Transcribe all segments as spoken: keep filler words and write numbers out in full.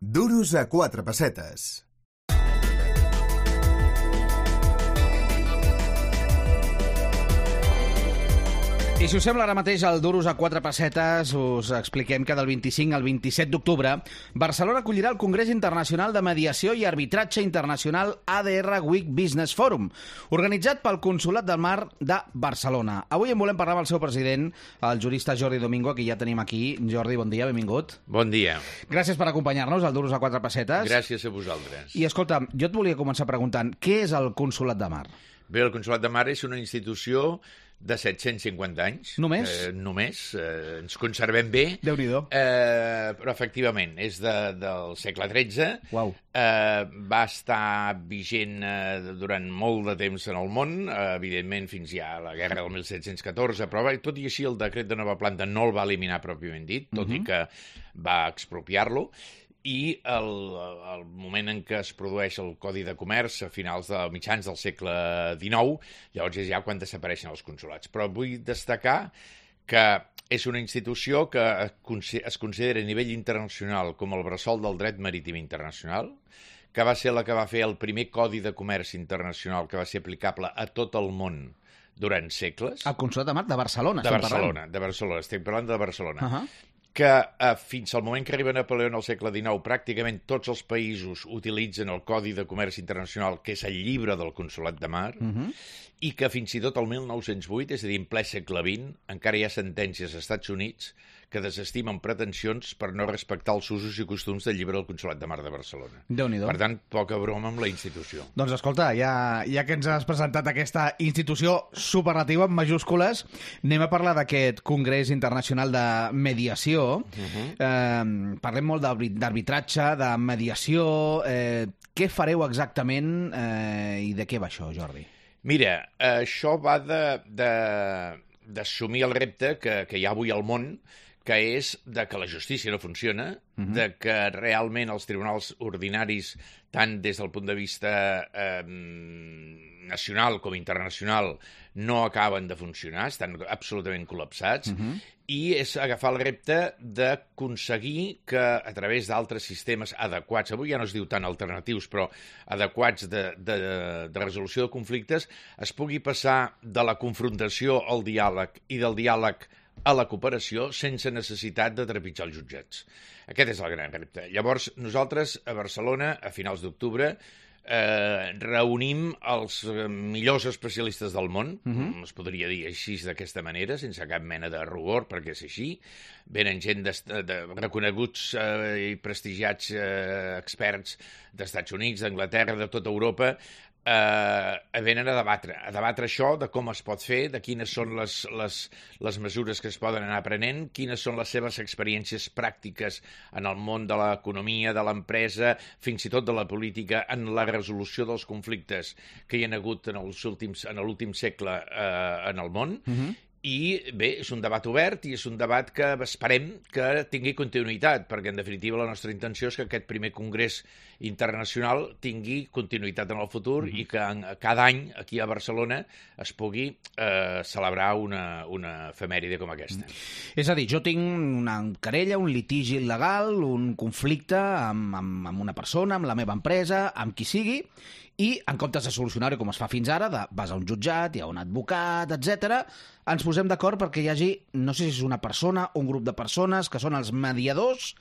Duros a quatre pessetes. I si us sembla, ara mateix al Duros a quatre pessetes us expliquem que del vint-i-cinc al vint-i-set d'octubre Barcelona acollirà el Congrés Internacional de Mediació i Arbitratge Internacional A D R Week Business Forum, organitzat pel Consolat del Mar de Barcelona. Avui en volem parlar amb el seu president, el jurista Jordi Domingo, que ja tenim aquí. Jordi, bon dia, benvingut. Bon dia. Gràcies per acompanyar-nos al Duros a quatre pessetes. Gràcies a vosaltres. I escolta, jo et volia començar preguntant, què és el Consolat de Mar? Bé, el Consolat de Mar és una institució de set-cents cinquanta anys. Només? Eh, només. Eh, ens conservem bé. Déu-n'hi-do. Eh, però, efectivament, és de, del segle tretze. Uau. Eh, va estar vigent eh, durant molt de temps en el món, eh, evidentment fins ja a la guerra del mil set-cents catorze, però bé, tot i així el decret de nova planta no el va eliminar pròpiament dit, tot uh-huh. i que va expropiar-lo. I el, el moment en què es produeix el Codi de Comerç a finals de mitjans del segle dinou, llavors és ja quan desapareixen els consolats. Però vull destacar que és una institució que es considera a nivell internacional com el bressol del dret marítim internacional, que va ser la que va fer el primer Codi de Comerç internacional que va ser aplicable a tot el món durant segles. El Consolat de Mar de Barcelona. De Barcelona, de Barcelona, estic parlant de Barcelona. Uh-huh. que eh, fins al moment que arriba Napoleó al segle dinou, pràcticament tots els països utilitzen el Codi de Comerç Internacional, que és el llibre del Consolat de Mar, uh-huh. i que fins i tot el mil nou-cents vuit, és a dir, en ple segle vint, encara hi ha sentències als Estats Units que desestimen pretensions per no respectar els usos i costums del llibre del Consolat de Mar de Barcelona. Déu-n'hi-do. Per tant, poca broma amb la institució. Doncs escolta, ja, ja que ens has presentat aquesta institució superlativa en majúscules, anem a parlar d'aquest Congrés Internacional de Mediació. Uh-huh. Eh, parlem molt d'arbitratge, de mediació. Eh, què fareu exactament eh, i de què va això, Jordi? Mira, això va d'assumir el repte que, que hi ha avui al món, que és de que la justícia no funciona, uh-huh. de que realment els tribunals ordinaris, tant des del punt de vista eh, nacional com internacional, no acaben de funcionar, estan absolutament col·lapsats, uh-huh. i és agafar el repte d'aconseguir que a través d'altres sistemes adequats, avui ja no es diu tant alternatius, però adequats de, de, de resolució de conflictes, es pugui passar de la confrontació al diàleg i del diàleg a la cooperació sense necessitat de trepitjar els jutjats. Aquest és el gran repte. Llavors, nosaltres a Barcelona, a finals d'octubre, eh, reunim els millors especialistes del món, uh-huh. es podria dir així d'aquesta manera, sense cap mena de rugor, perquè és així. Venen gent de, de reconeguts eh, i prestigiats eh, experts d'Estats Units, d'Anglaterra, de tota Europa, eh, venen a debatre, a debatre això, de com es pot fer, de quines són les, les, les mesures que es poden anar aprenent, quines són les seves experiències pràctiques en el món de l'economia, de l'empresa, fins i tot de la política, en la resolució dels conflictes que hi ha hagut en els últims, en l'últim segle eh, en el món. Uh-huh. I bé, és un debat obert i és un debat que esperem que tingui continuïtat, perquè en definitiva la nostra intenció és que aquest primer congrés internacional tingui continuïtat en el futur mm-hmm. i que en, cada any aquí a Barcelona es pugui eh, celebrar una, una efemèride com aquesta. Mm. És a dir, jo tinc una querella, un litigi il·legal, un conflicte amb, amb, amb una persona, amb la meva empresa, amb qui sigui, i en comptes de solucionar-ho com es fa fins ara, de, vas a un jutjat, hi ha un advocat, etcètera, ens posem d'acord perquè hi hagi, no sé si és una persona o un grup de persones que són els mediadors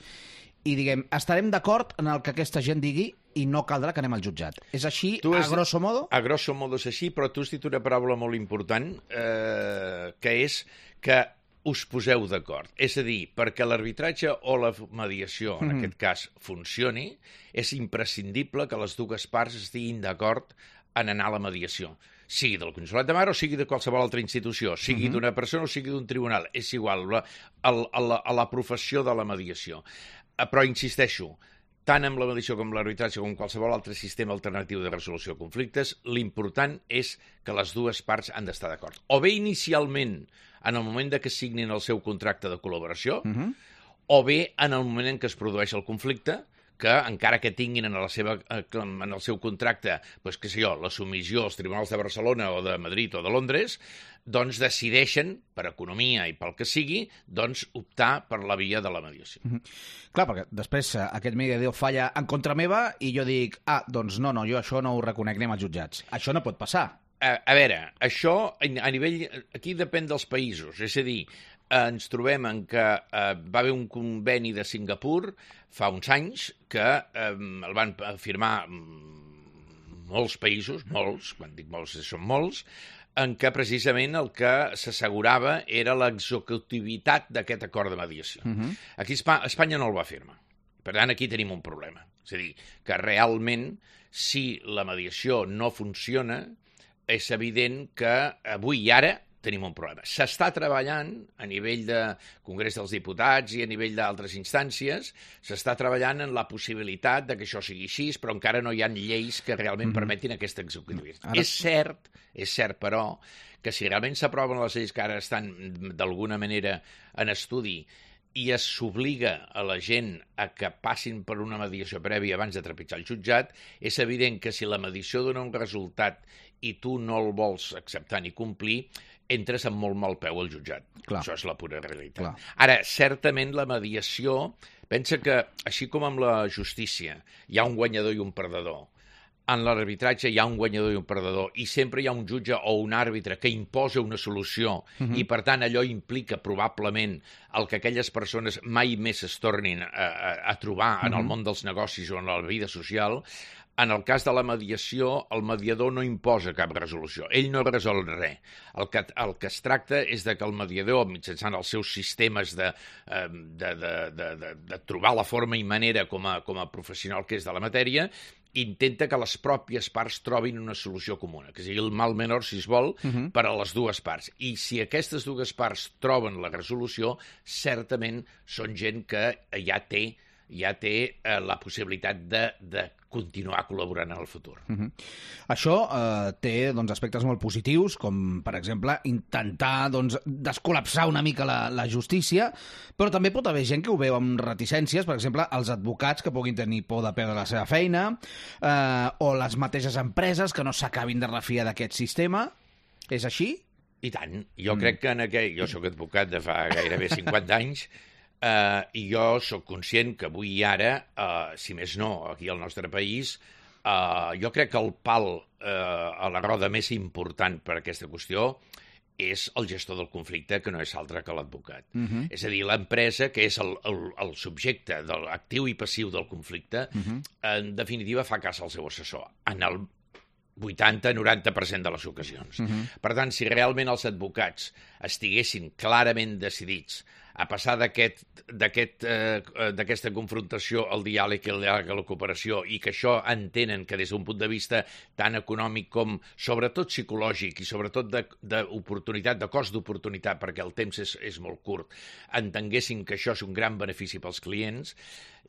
i, diguem, estarem d'acord en el que aquesta gent digui i no caldrà que anem al jutjat. És així, has, a grosso modo? A grosso modo és així, però tu has dit una paraula molt important, eh, que és que us poseu d'acord. És a dir, perquè l'arbitratge o la mediació, en mm-hmm. aquest cas, funcioni, és imprescindible que les dues parts estiguin d'acord en anar a la mediació. Sigui del Consolat de Mar o sigui de qualsevol altra institució, sigui mm-hmm. d'una persona o sigui d'un tribunal. És igual, la, a, a, la, a la professió de la mediació. Però insisteixo, tant amb la mediació com l'arbitratge com qualsevol altre sistema alternatiu de resolució de conflictes, l'important és que les dues parts han d'estar d'acord. O bé inicialment, en el moment de que signin el seu contracte de col·laboració, uh-huh. o bé en el moment en què es produeix el conflicte, que, encara que tinguin en, la seva, en el seu contracte, doncs, què sé jo, la submissió als tribunals de Barcelona o de Madrid o de Londres, doncs decideixen, per economia i pel que sigui, doncs optar per la via de la mediació. Mm-hmm. Clar, perquè després aquest mediador falla en contra meva i jo dic, ah, doncs no, no, jo això no ho reconec, anem als jutjats. Això no pot passar. A, a veure, això a nivell... Aquí depèn dels països, és a dir, ens trobem en que eh, va haver un conveni de Singapur fa uns anys que eh, el van firmar molts països, molts, quan dic molts són molts, en què precisament el que s'assegurava era l'executivitat d'aquest acord de mediació. Uh-huh. Aquí Espanya no el va firmar. Per tant, aquí tenim un problema. És a dir, que realment, si la mediació no funciona, és evident que avui i ara tenim un problema. S'està treballant a nivell de Congrés dels Diputats i a nivell d'altres instàncies, s'està treballant en la possibilitat de que això sigui així, però encara no hi ha lleis que realment mm-hmm. permetin aquesta executivitat. Ara... És cert, és cert, però, que si realment s'aproven les lleis que ara estan d'alguna manera en estudi i es s'obliga a la gent a que passin per una mediació prèvia abans de trepitjar el jutjat, és evident que si la mediació dona un resultat i tu no el vols acceptar ni complir, entres amb molt mal peu al jutjat. Clar. Això és la pura realitat. Clar. Ara, certament la mediació, pensa que, així com amb la justícia, hi ha un guanyador i un perdedor, en l'arbitratge hi ha un guanyador i un perdedor, i sempre hi ha un jutge o un àrbitre que imposa una solució, uh-huh. i per tant allò implica probablement el que aquelles persones mai més es tornin a, a, a trobar uh-huh. en el món dels negocis o en la vida social. En el cas de la mediació, el mediador no imposa cap resolució. Ell no resol res. El que, el que es tracta és de que el mediador, mitjançant els seus sistemes de, de, de, de, de, de trobar la forma i manera com a, com a professional que és de la matèria, intenta que les pròpies parts trobin una solució comuna, que sigui el mal menor, si es vol, uh-huh. per a les dues parts. I si aquestes dues parts troben la resolució, certament són gent que ja té ja té eh, la possibilitat de, de continuar col·laborant en el futur. Uh-huh. Això eh, té doncs, aspectes molt positius, com, per exemple, intentar doncs, descol·lapsar una mica la, la justícia, però també pot haver gent que ho veu amb reticències, per exemple, els advocats que puguin tenir por de perdre la seva feina, eh, o les mateixes empreses que no s'acabin de refiar d'aquest sistema. És així? I tant. Jo mm. crec que en aquell... Jo sóc advocat de fa gairebé cinquanta anys, Uh, i jo sóc conscient que avui i ara, uh, si més no, aquí al nostre país, uh, jo crec que el pal uh, a la roda més important per a aquesta qüestió és el gestor del conflicte, que no és altre que l'advocat. Uh-huh. És a dir, l'empresa, que és el, el, el subjecte de l'actiu i passiu del conflicte, uh-huh. en definitiva fa cas al seu assessor, en el vuitanta a noranta per cent de les ocasions. Uh-huh. Per tant, si realment els advocats estiguessin clarament decidits a passar d'aquest, d'aquest, eh, d'aquesta confrontació al diàleg i a la cooperació, i que això entenen que des d'un punt de vista tan econòmic com sobretot psicològic i sobretot d'oportunitat, de, de cost d'oportunitat, perquè el temps és, és molt curt, entenguessin que això és un gran benefici pels clients,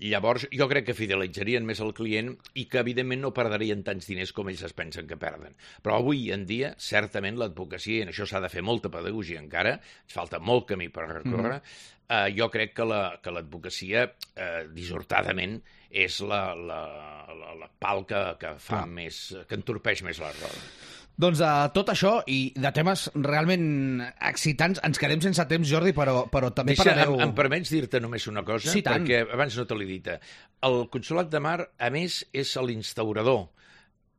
llavors jo crec que fidelitzarien més el client i que evidentment no perdrien tants diners com ells es pensen que perden. Però avui en dia, certament, l'advocacia, i en això s'ha de fer molta pedagogia encara, ens falta molt camí per recórrer, mm. eh, jo crec que, la, que l'advocacia, eh, dissortadament, és la, la, la, la pal que, que fa Clar. més, que entorpeix més la roda. Doncs de tot això i de temes realment excitants, ens quedem sense temps, Jordi, però, però també Deixa, parlareu... Em, em permets dir-te només una cosa? Sí, tant. Perquè abans no te l'he dit. El Consolat de Mar, a més, és l'instaurador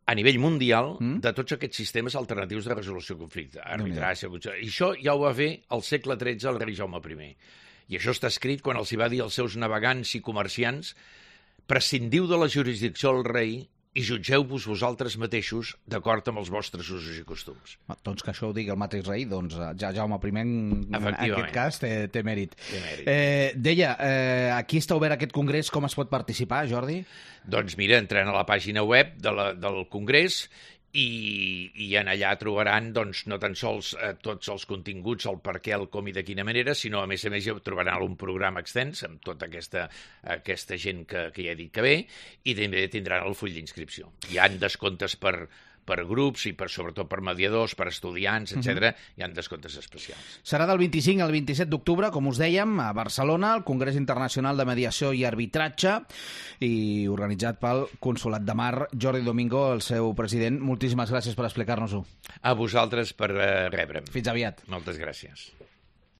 a nivell mundial mm? de tots aquests sistemes alternatius de resolució de conflicte. Arbitratge, i això ja ho va fer al segle tretze el rei Jaume primer. I això està escrit quan els hi va dir als seus navegants i comerciants: prescindiu de la jurisdicció del rei i jutgeu-vos vosaltres mateixos d'acord amb els vostres usos i costums. Doncs que això ho digui el mateix rei, doncs ja Jaume primer en aquest cas té, té mèrit. Té mèrit. Eh, deia, eh, aquí està obert aquest congrés, com es pot participar, Jordi? Doncs mira, entrant a la pàgina web de la, del congrés i, i en allà trobaran doncs, no tan sols eh, tots els continguts, el per què, el com i de quina manera, sinó a més a més ja trobaran un programa extens amb tota aquesta, aquesta gent que, que ja he dit que ve, i també tindran el full d'inscripció. Hi ha descomptes per, per grups i per, sobretot per mediadors, per estudiants, etcètera, uh-huh. hi ha descomptes especials. Serà del vint-i-cinc al vint-i-set d'octubre, com us dèiem, a Barcelona, al Congrés Internacional de Mediació i Arbitratge, i organitzat pel Consolat de Mar. Jordi Domingo, el seu president, moltíssimes gràcies per explicar-nos-ho. A vosaltres per uh, rebre'm. Fins aviat. Moltes gràcies.